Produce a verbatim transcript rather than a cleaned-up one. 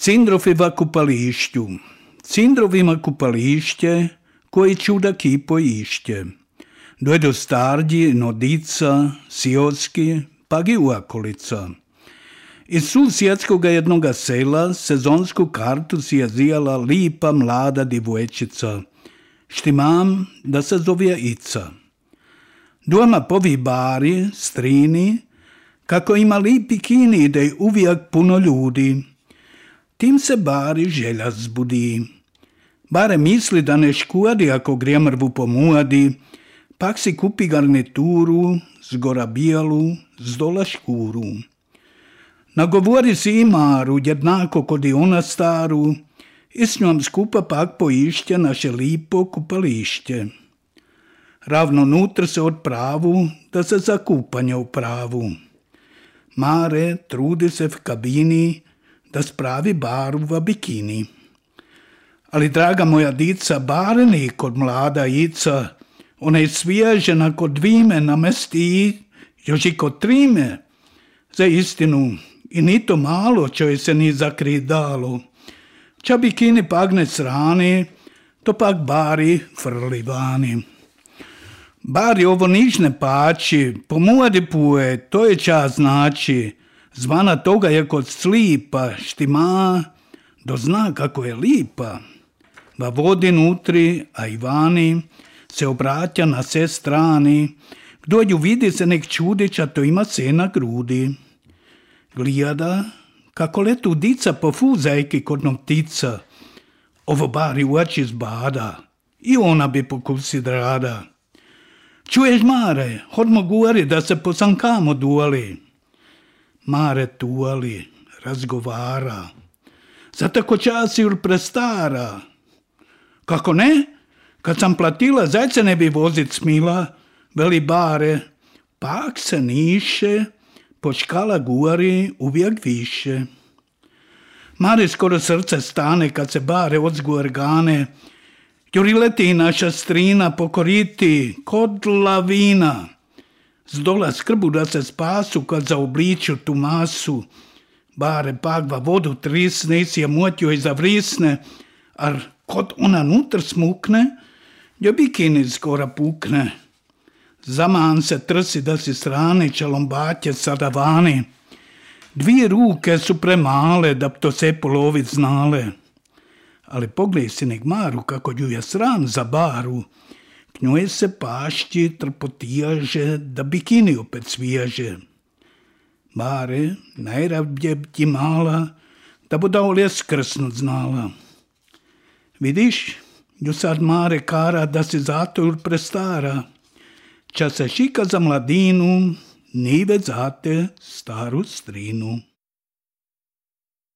Cindrofeva kupališću. Cindrovima kupališće, koji čuda kipo ište. Dojdu starđi, nodica, siotski, pa i uakolica. Iz susjedskoga jednoga sela sezonsku kartu si je zijala lipa mlada divojčica, štimam da se zove Ica. Doma povi bari, strini, kako ima lipi kini da je uvijek puno ljudi. Tim se bari želja zbudi. Bare misli da ne škudi ako gre mrvu pomujadi, pak si kupi garnituru, zgora bijalu, zdola škuru. Nagovori si i Maru, jednako kod i ona staru, i s njom skupa pak poišće naše lipo kupališće. Ravno nutr se odpravu, da se za kupanje upravu. Mare trudi se v kabini, da spravi baru v bikini. Ali, draga moja dica, bare ni kod mlada Ica, ona je svježena kod dvime namesti, još i kod trime. Za istinu, i ni to malo čoj se ni zakrit dalo. Ča bikini pak ne srani, to pak bari frli vani. Bari ovo niš ne pači, pomujadi puje, to je ča znači. Zvana toga je kod slipa, štima, dozna kako je lipa. Va vodi nutri, a i vani, se obraća na sve strani. Kdo ju vidi se nek čudića, to ima se na grudi. Gleda, kako letu dica po fuzajki kod noktica. Ovo bari u oči zbada, i ona bi pokusi rada. Čuješ, Mare, hodmo gori da se posankamo duali. Mare tuali, razgovara. Za tako časi ur prestara. Kako ne? Kad sam platila, zajce ne bi vozit smila, veli Bare, pak se niše, počkala guri uvijek više. Mare skoro srce stane kad se Bare odzgu organe, juri leti naša strina pokoriti kod lavina. Zdola skrbu da se spasu kad zaobliču tu masu. Bare pak va vodu trisne i si je motio i zavrisne, ar kod ona nutr smukne, jo bikini skora pukne. Zaman se trsi da si strane čalombatje sada vani. Dvije ruke su premale da bi to se polovit znale. Ali poglej si nek Maru kako ju je sram za baru. K njoj se pašći trpotijaže da bikini opet svježe. Bare, najravdje ti mala, da bo da olje skrsnut znala. Vidiš, ju sad Mare kara da si zato ur prestara. Ča se šika za mladinu, ni već zate staru strinu.